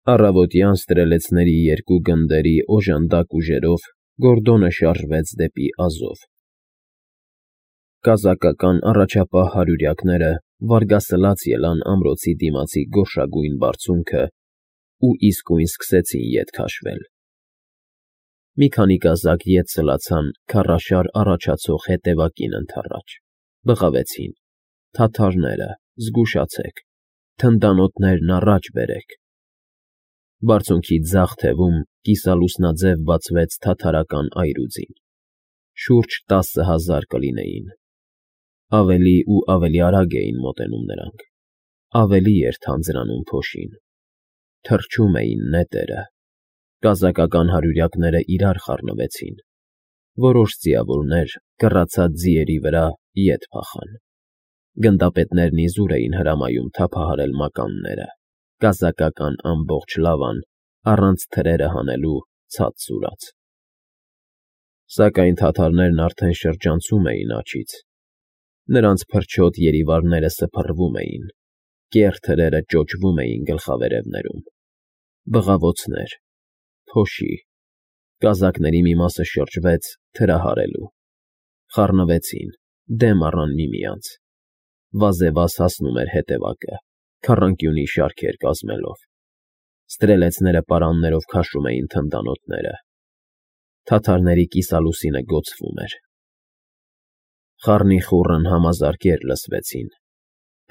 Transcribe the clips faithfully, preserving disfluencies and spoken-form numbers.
Առավոտյան ստրելեցների երկու գնդերի օժանդակ ուժերով Գորդոնը շարժվեց դեպի Ազով։ Կազակական առաջապահ հարյուրյակները վարգասլաց ելան ամրոցի դիմացի գորշագույն բարձունքը ու իսկույն սկսեցին ետ քաշվել։ Մի քանի կազակ ետ սլացան քարաշար առաջացող հետևակին ընդառաջ, բղավեցին. թաթարները, զգուշացեք, թնդանոթներն առաջ բերեք։ Բարձունքի ձախ թևում կիսալուսնաձև բացվեց թաթարական այրուձին, շուրջ տասը հազար կլինեին։ Ավելի ու ավելի արագ էին մոտենում նրանք, ավելի էր թանձրանում փոշին, թռչում էին նետերը, կազակական հարյուրյակները իրար խառնվեցին, որոշ ձիավորներ կռացած ձիերի վրա ետ փախան։ Գնդապետներն իզուր էին հրամայում թափահարել մականները, կազակական ամբողջ լավան, առանց թրերը հանելու ցած սուրաց։ Սակայն թաթարներն արդեն շրջանցում էին աջից, նրանց փրչոտ երիվարները սփռվում էին, կեռ թրերը ճոճվում էին գլխավերևներում։ Բղավոցներ, փոշի, կազակների մի մասը շրջվեց թրահարելու, խառնվեցին, դեմ առան միմյանց, վազևազ հասնում էր հետևակը, քառանկյունի շարքեր կազմելով, ստրելեցները պարաններով քաշում էին թնդանոթները, թաթարների կիսալուսինը գոցվում էր։ Խառնիխուռն համազարկեր լսվեցին,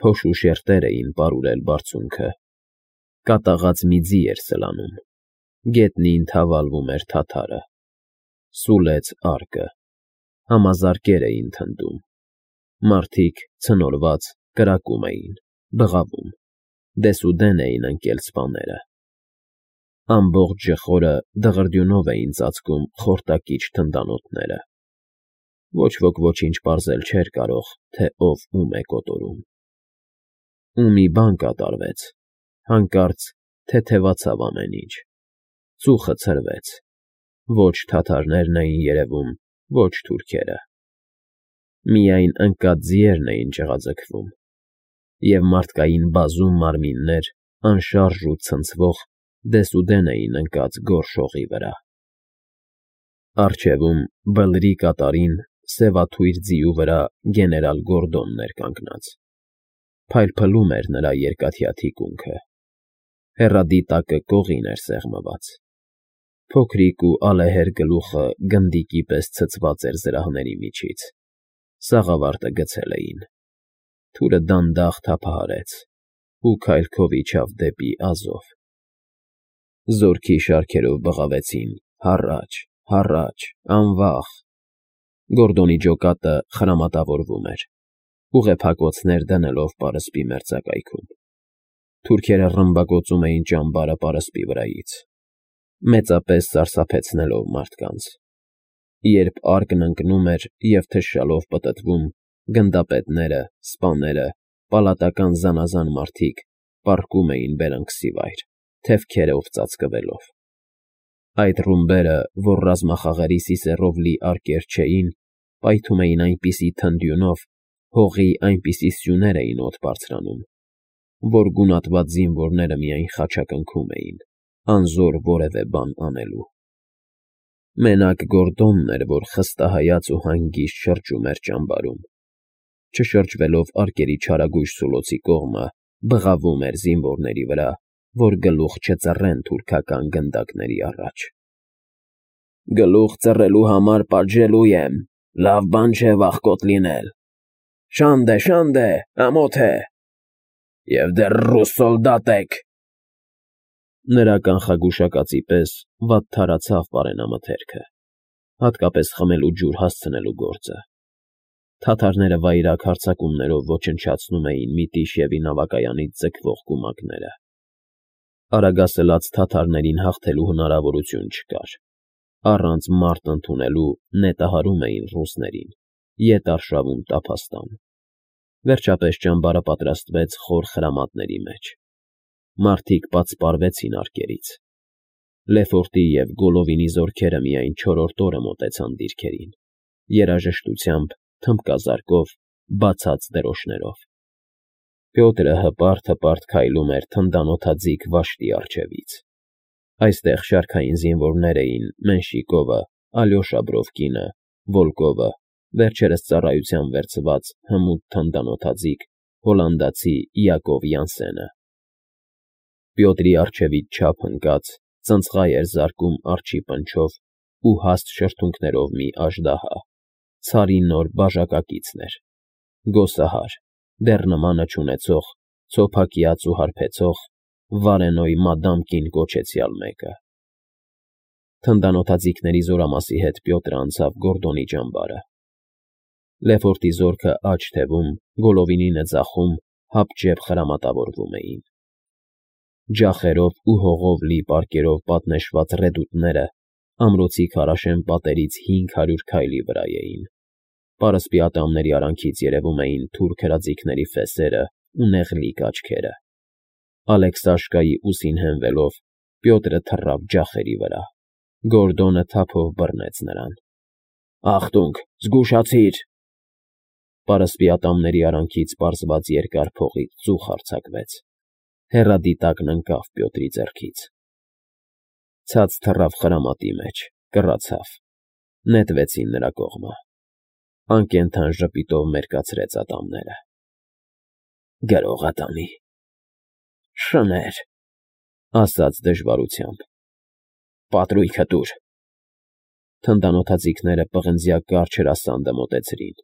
փոշու շերտեր էին պարուրել բարձունքը, կատաղած մի ձի էր սլանում, գետնին թավալվում էր թաթարը, սուլեց արկը, համազարկեր էին թնդում, մարդիկ ցնորված կրակում էին, բղավում, դեսուդեն էին ընկել սպաները։ Ամբողջ ժխորը դղրդյունով էին ծածկում խորտակիչ թնդանոթները։ Ոչ ոք ոչինչ պարզել չէր կարող, թե ով ում է կոտորում։ Ու մի բան կատարվեց, հանկարծ թեթևացավ ամեն ինչ, ծուխը ցրվեց, ոչ թաթարներն էին երևում, ոչ թուրքերը։ Միայն ընկած ձիերն էին ճղաձգվում, և մարդկային բազում մարմիններ անշարժ ու ցնցվող դեսուդեն էին ընկած գորշ հողի վրա։ Առջևում, բլրի կատարին, սևաթույր ձիու վրա գեներալ Գորդոնն էր կանգնած, փայլփլում էր նրա երկաթյա թիկունքը, հեռադի տակը կողին էր սեղմված, փոքրիկ ու ալեհեր գլուխը գնդիկի պես ցցված էր զրահների միջից, սաղավարտը գցել էին, թուրը դանդաղ թափահարեց ու քայլքով իջավ դեպի Ազով։ Զորքի շարքերով բղավեցին. հառաչ, հառաչ, անվախ։ Գորդոնի ջոկատը խրամատավորվում էր, ուղեփակոցներ դնելով պարսպի մերձակայքում։ Թուրքերը ռմբակոծում էին ճամբարը պարսպի վրայից, մեծապես սարսափեցնելով մարդկանց։ Երբ արկն ընկնում էր և թշշալով պտտվում, գնդապետները, սպաները, պալատական զանազան մարդիկ պառկում էին բերանքսի վայր, թևքերով ծածկվելով։ Այդ ռումբերը, որ ռազմախաղերի սիսեռով լի արկեր չէին, պայթում էին այնպիսի թնդյունով, հողի այնպիսի սյուներ էին օդ բարձրանում, որ գունատված զինվորները միայն խաչակնքում էին, անզոր որևէ բան անելու։ Մենակ Գորդոնն էր, որ խստահայաց ու հանգիստ շրջում էր ճամբարում, չշրջվելով արկերի չարագույժ սուլոցի կողմը, բղավում էր զինվորների վրա, որ գլուխ չծռեն թուրքական գնդակների առաջ։ Գլուխ ծռելու համար պատժելու եմ, լավ բան չէ վախկոտ լինել։ Շանդե, շանդե, ամոթ է։ Եվ դեռ ռուս սոլդատ եք։ Նրա կանխագուշակածի պես վատ թարացավ պարենամթերքը, հատկապես խմելու ջուր հասցնելու գործը։ Թաթարները վայրագ հարձակումներով ոչնչացնում էին Միտիշևի նավակայանից ձգվող կումակները։ Արագասլաց թաթարներին հաղթելու հնարավորություն չկար, առանց մարտ ընդունելու նետահարում էին ռուսներին, ետ արշավում տափաստան։ Վերջապես ճամբարը պատրաստվեց խոր խրամատների մեջ։ Մարդիկ պատսպարվեցին արկերից։ Լեֆորտի և Գոլովինի զորքերը միայն չորրորդ օրը մոտեցան դիրքերին, երաժշտությամբ, թմբկազարկով, բացած դրոշներով։ Պյոտրը հպարտ֊հպարտ քայլում էր թնդանոթաձիգ վաշտի առջևից։ Այստեղ շարքային զինվորներ էին Մենշիկովը, Ալյոշա Բրովկինը, Վոլկովը, վերջերս ծառայության վերցված հմուտ թնդանոթաձիգ հոլանդացի Յակով Յանսենը։ Պյոտրի առջևից չափ ընկած ծնծղայ էր զարկում արջի պնչով ու հաստ շրթունքներով մի աժդահա, ցարի նոր բաժակակիցն էր, գոսահար, դեռ նմանը չունեցող, ցոփակյաց ու հարբեցող, Վարենոյ մադամ կին կոչեցյալ մեկը։ Թնդանոթաձիգների զորամասի հետ Պյոտրը անցավ Գորդոնի ճամբարը։ Լեֆորտի զորքը աջ թևում, Գոլովինինը ձախում հապճեպ խրամատավորվում էին։ Ջախերով ու հողով լի պարկերով պատնեշված ռեդուտները ամրոցի քարաշեն պատերից հինգ հարյուր քայլի վրա էին։ Պարսպի ատամների արանքից երևում էին թուրք հրաձիգների ֆեսերը ու նեղլիկ աչքերը։ Ալեքսաշկայի ուսին հենվելով Պյոտրը թռավ ջախերի վրա։ Գորդոնը թափով բռնեց նրան։ «Ախտունք, զգուշացիր»։ Պարսպի ատամների արանքից պարզված երկար փողից ծուխ արձակվեց։ Հեռադիտակն ընկավ Պյոտրի ձեռքից։ Ցած թռավ խրամատի մեջ, կռացավ։ Նետվեցին նրա կողմը։ Անկենդան ժպիտով մերկացրեց ատամները։ «Գրողատանի, շներ», ասաց դժվարությամբ։ «Պատրույգը տուր»։ Թնդանոթաձիգները պղնձյա կարճ հրասանդը մոտեցրին,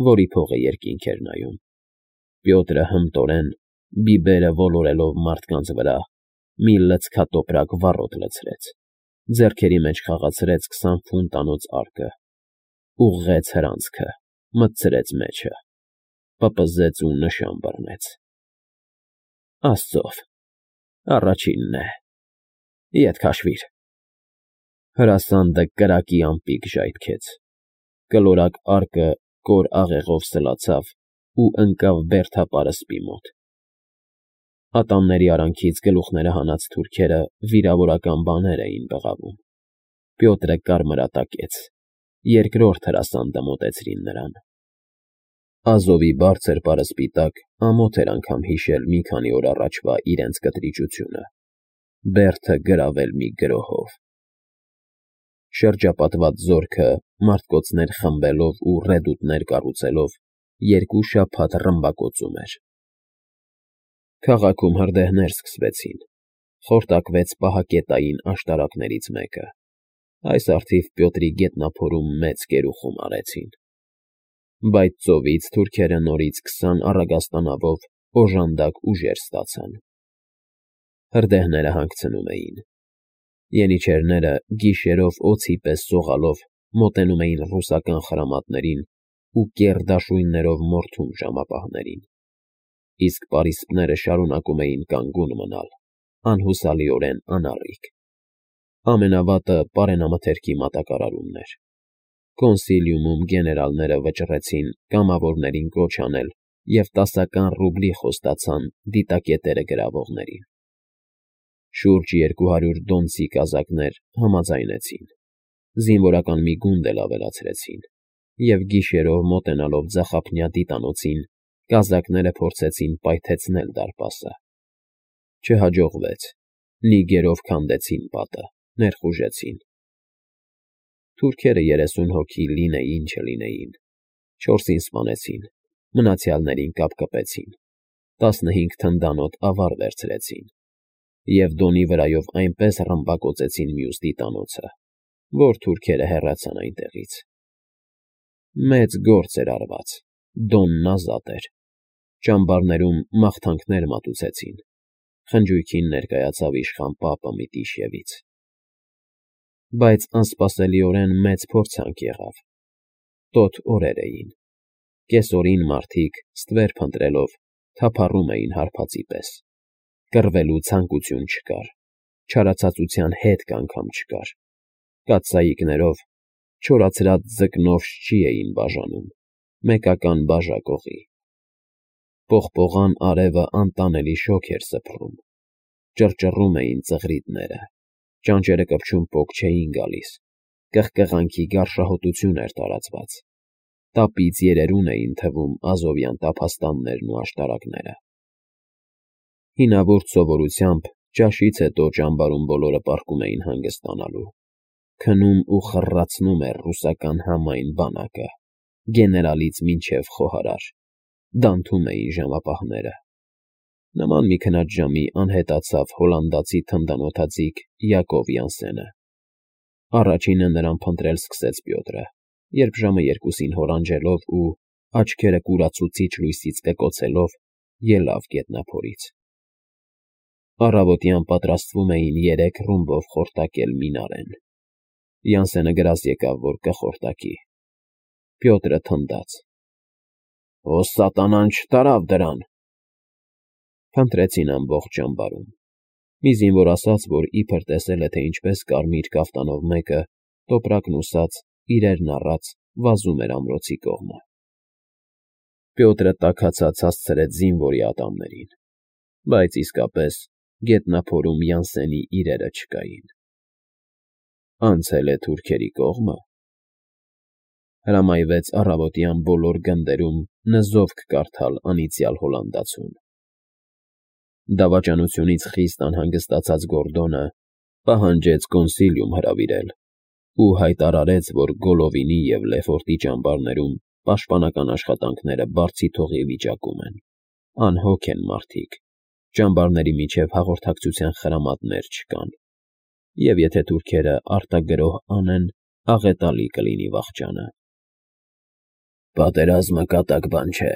որի փողը երկինք էր նայում։ Պյոտրը հմտորեն, բիբերը ոլորելով մարդկանց վրա, մի լցքատոպրակ վառոդ լցրեց, ձեռքերի մեջ խաղացրեց քսան ֆունտանոցարկը, ուղղեց հրանցքը, մտցրեց մեջը, պպզեց ու նշան բռնեց։ «Աստծով, առաջինն է, ետ քաշվիր»։ Հրասանդը կրակի ամպիկ ժայթքեց։ Կլորակարկը կոր աղեղով սլացավ ու ընկավ բերդապարսպի մոտ։ Ատամների արանքից գլուխները հանած թուրքերը վիրավորական բաներ էին բղավում։ Պյոտրը կարմրատակեց։ Երկրորդ հրասանդը մոտեցրին նրան։ Ազովի բարձր պարսպի տակ ամոթ էր անգամ հիշել մի քանի օր առաջվա իրենց կտրիճությունը, բերդը գրավել մի գրոհով։ Շրջապատված զորքը, մարդկոցներ խմբելով ու ռեդուտներ կառուցելով, երկու շաբաթ ռմբակոծում էր։ Քաղաքում հրդեհներ սկսվեցին։ Խորտակվեց պահակետային աշտարակներից մեկը։ Այս առթիվ Պյոտրի գետնափորում մեծ կերուխում արեցին։ Բայց ծովից թուրքերը նորից քսան առագաստանավով օժանդակ ուժեր ստացան։ Հրդեհները հանգցնում էին։ Ենիչերները գիշերով օձի պես սողալով մոտենում էին ռուսական խրամատներին ու կեռ դաշույններով մորթում ժամապահներին։ Իսկ պարիսպները շարունակում էին կանգուն մնալ, անհուսալիորեն անառիկ։ Ամենավատը պարենամթերքի մատակարարումն էր։ Կոնսիլիումում գեներալները վճռեցին կամավորներին կոչ անել և տասական ռուբլի խոստացան դիտակետերը գրավողներին։ Շուրջ երկու հարյուր դոնցի կազակներ համաձայնեցին, զինվորական մի գունդ էլ ավելացրեցին, և գիշերով մոտենալով ձախափնյա դիտանոցին, կազակները փորձեցին պայթեցնել դարպասը։ Չհաջողվեց, նիգերով քանդեցին պատը, ներխուժեցին։ Թուրքերը երեսուն հոգի լինեին չլինեին, չորսին սպանեցին, մնացյալներին կապկպեցին, տասնհինգ թնդանոթ ավար վերցրեցին և Դոնի վրայով այնպես ռմբակոծեցին մյուս դիտանոցը, որ թուրքերը հեռացան այնտեղից։ Մեծ գործ էր արված, Դոնն ազատ էր։ Ճամբարներում մաղթանքներ մատուցեցին, խնջույքին ներկայացավ իշխան պապը Միտիշևից։ Բայց անսպասելիորեն մեծ փորձանք եղավ։ Տոտ օրեր էին։ Կեսօրին մարդիկ, ստվեր փնտրելով, թափառում էին հարբածի պես։ Կռվելու ցանկություն չկար, չարացածության հետք անգամ չկար։ Կաթսայիկներով չորացրած ձկնորշ չի էին բաժանում, մեկական բաժակողի։ Պողպողան արևը անտանելի շոգ էր սփռում։ Ճռճռում էին ծղրիդները, ճանճերը կպչում պոկ չէին գալիս, կղկղանքի գարշահոտություն էր տարածված։ Տապից երերուն էին թվում ազովյան տափաստաններն ու աշտարակները։ Հինավուրց սովորությամբ Ճաշից հետո ճամբարում բոլորը պառկում էին հանգստանալու։ Քնում ու խռռացնում էր ռուսական համայն բանակը, գեներալից մինչև խոհարար, դանթում էին ժամապահները։ Նման մի քնած ժամի անհետացավ հոլանդացի թնդանոթաձիգ Յակով Յանսենը։ Առաջինը նրան փնտրել սկսեց Պյոտրը, երբ ժամը երկուսին հորանջելով ու աչքերը կուրացուցիչ լույսից կկոցելով ելավ գետնափորից։ Առավոտյան պատրաստվում էին երեք ռումբով խորտակել Մինարեն։ Յանսենը գրազ եկավ, որ կխորտակի։ Պյոտրը թնդաց. «Ո սատանան չտարավ դրան»։ Փնտրեցին ամբողջ ճամբարում։ Մի զինվոր ասաց, որ իբր տեսել է, թե ինչպես կարմիր կաֆտանով մեկը, տոպրակն ուսած, իրերն առած, վազում էր ամրոցի կողմը։ Պյոտրը տաքացած հասցրեց զինվորի ատամներին, բայց իսկապես գետնափորում Յանսենի իրերը չկային։ Անցել է թուրքերի կողմը։ Հրամայվեց առավոտյան բոլոր գնդերում նզովք կարդալ անիծյալ հոլանդացուն։ Դավաճանությունից խիստ անհանգստացած Գորդոնը պահանջեց կոնսիլիում հրավիրել ու հայտարարեց, որ Գոլովինի և Լեֆորտի ճամբարներում պաշտպանական աշխատանքները բարձիթողի վիճակում են, անհոգ են մարդիկ, ճամբարների միջև հաղորդակցության խրամատներ չկան, և եթե թուրքերը արտագրոհ անեն, աղետալի կլինի վախճանը։ Պատերազմը կատակ բան չէ,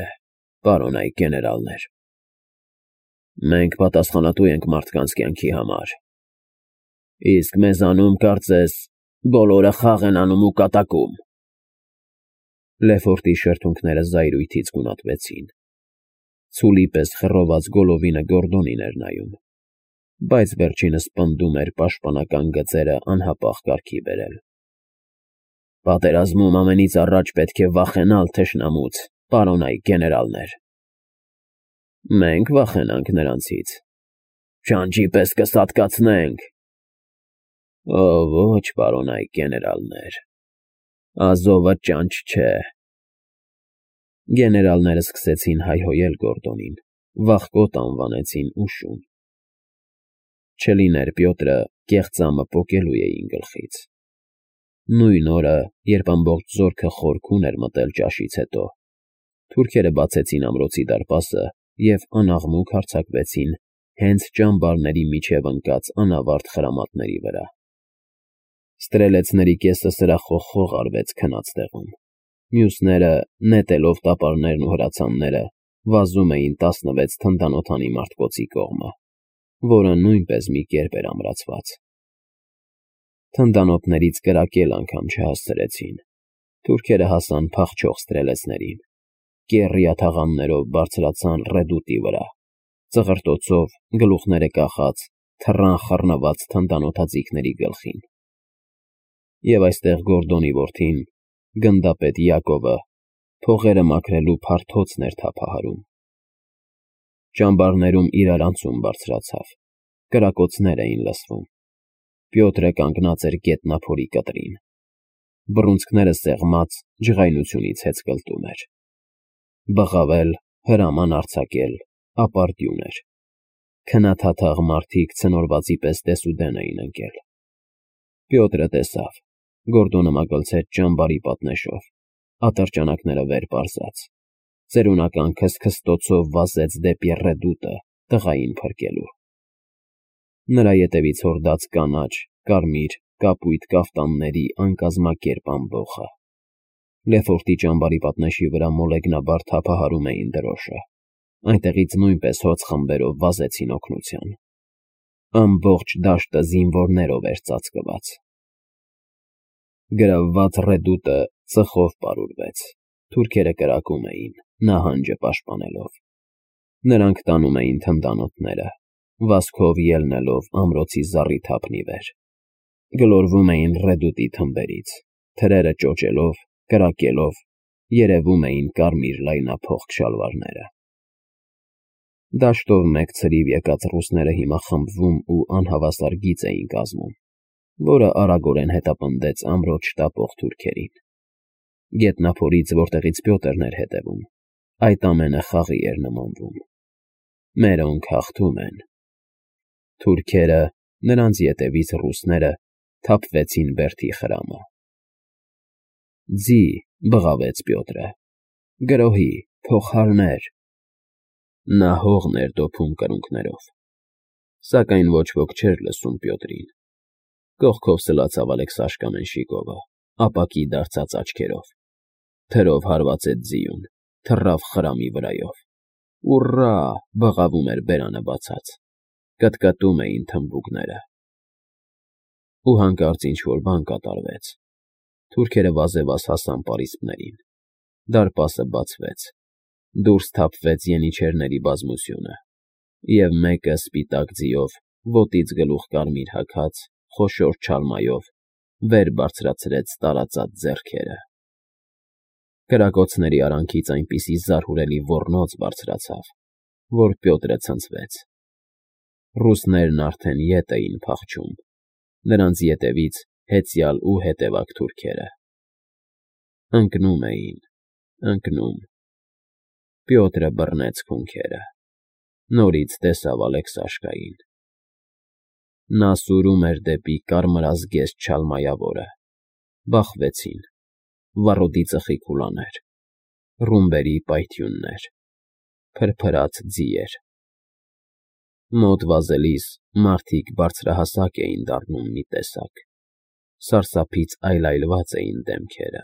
պարոնայք գեներալներ։ Մենք պատասխանատու ենք մարդկանց կյանքի համար, իսկ մեզանում, կարծես, բոլորը խաղ են անում ու կատակում։ Լեֆորտի շրթունքները զայրույթից գունատվեցին։ Ցուլի պես խռոված Գոլովինը Գորդոնին էր նայում, բայց վերջինս պնդում էր պաշտպանական գծերը անհապաղ կարգի բերել։ Պատերազմում ամենից առաջ պետք է վախենալ թշնամուց, պարոնայք գեներալներ։ Մենք վախենանք նրանցից, չանճի պես կսատկացնենք։ Օ, ոչ, պարոնայք գեներալներ, Ազովը ճանճ չէ։ Գեներալները սկսեցին հայհոյել Գորդոնին, վախկոտ անվանեցին ու շուն։ Չլիներ Պյոտրը կեղծամը պոկելու էին գլխից։ Նույն օրը, երբ ամբողջ զորքը խորքուն էր մտել ճաշից հետո, թուրքերը բացեցին ամրոցի դարպասը և անաղմուկ հարձակվեցին հենց ճամբարների միջև ընկած անավարտ խրամատների վրա։ Ստրելեցների կեսը սրախոխող արվեց քնած տեղում, մյուսները, նետելով տապարներն ու հրացանները, վազում էին տասնվեց թնդանոթանի մարտկոցի կողմը, որը նույնպես մի կերպ էր ամրացված։ Թնդանոթներից կրակել անգամ չհասցրեցին։ Թուրքերը հասան փախչող ստրելեցներին, կեռյա թաղաններով բարձրացան ռեդուտի վրա, ծղրտոցով, գլուխները կախած, թռան խռնված թնդանոթաձիգների գլխին։ Եվ այստեղ Գորդոնի որդին, գնդապետ Յակովը, փողերը մաքրելու փարթոցն էր թափահարում։ Ճամբարներում իրարանցում բարձրացավ, կրակոցներ էին լսվում։ Պյոտրը կանգնած էր գետնափորի կտրին։ Բռունցքները սեղմած, ջղայնությունից հեծկլտում էր։ Բղավել, հրաման արձակել, ապարդյուն էր։ Քնաթաթաղ մարդիկ ցնորվածի պես դեսուդեն էին ընկել։ Պյոտրը տեսավ, Գորդոնը մագլցեց ճամբարի պատնեշով, ատրճանակները վեր պարզած, ծերունական քստքստոցով վազեց դեպի ռեդուտը, տղային փրկելու։ Նրա ետևից հորդաց կանաչ, կարմիր, կապույտ կաֆտանների անկազմակերպ ամբոխը։ Լեֆորտի ճամբարի պատնեշի վրա մոլեգնաբար թափահարում էին դրոշը, այնտեղից նույնպես հոծ խմբերով վազեցին օգնության։ Ամբողջ դաշտը զինվորներով էր ծածկված։ Գրավված ռեդուտը ծխով պարուրվեց, թուրքերը կրակում էին, նահանջը պաշտպանելով։ Նրանք տանում էին թնդանոթները, վազքով ելնելով ամրոցի զառիթափն ի վեր։ Գլորվում էին ռեդուտի թմբերից, թրերը ճոճելով, կրակելով, երևում էին կարմիր լայնափոխ շալվարները։ Դաշտով մեկ ցրիվ եկած ռուսները հիմա խմբվում ու անհավասար գիծ էին կազմում, որը արագորեն հետապնդեց ամրոց շտապող թուրքերին։ Գետնափորից, որտեղից Պյոտրն էր հետևում, այդ ամենը խաղի էր նմանվում։ Մերոնք հաղթում են։ Թուրքերը, նրանց ետևից ռուսները թափվեցին Բերդի խրամը։ Ձի, բղավեց Պյոտրը, գրոհի, փողահարներ… Նա հողն էր դոփում կրունկներով, սակայն ոչ ոք չէր լսում Պյոտրին։ Կողքով սլացավ Ալեքսաշկա Մենշիկովը, ապակի դարձած աչքերով, թրով հարվածեց ձիուն, թռավ խրամի վրայով։ Ուռա՜, բղավում էր բերանը բացած, կտկտում էին թմբուկները։ Ու հանկարծ ինչ֊որ բան կատարվեց։ Թուրքերը վազևազ հասան պարիսպներին, դարպասը բացվեց, դուրս թափվեց ենիչերների բազմությունը, և մեկը սպիտակ ձիով, ոտից գլուխ կարմիր հագած, խոշոր չալմայով վեր բարձրացրեց տարածած ձեռքերը։ Կրակոցների արանքից այնպիսի զարհուրելի ոռնոց բարձրացավ, որ Պյոտրը ցնցվեց։ Ռուսներն արդեն ետ էին փախչում, նրանց ետևից հեծյալ ու հետևակ թուրքերը։ Ընկնում էին, ընկնում… Պյոտրը բռնեց քունքերը, նորից տեսավ Ալեքսաշկային։ Նա սուրում էր դեպի կարմրազգեստ չալմայավորը, բախվեցին, վառոդի ծխի քուլաներ, ռումբերի պայթյուններ, փրփրած ձիեր… Մոտ վազելիս մարդիկ բարձրահասակ էին դառնում մի տեսակ, սարսափից այլայլված էին դեմքերը,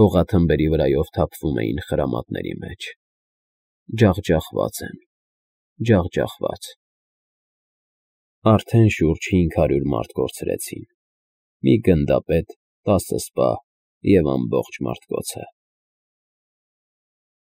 հողաթմբերի վրայով թափվում էին խրամատների մեջ… Ջախջախված են, ջախջախված… Արդեն շուրջ հինգ հարյուր մարդ կորցրեցին, մի գնդապետ, տասը սպա և ամբողջ մարդկոցը։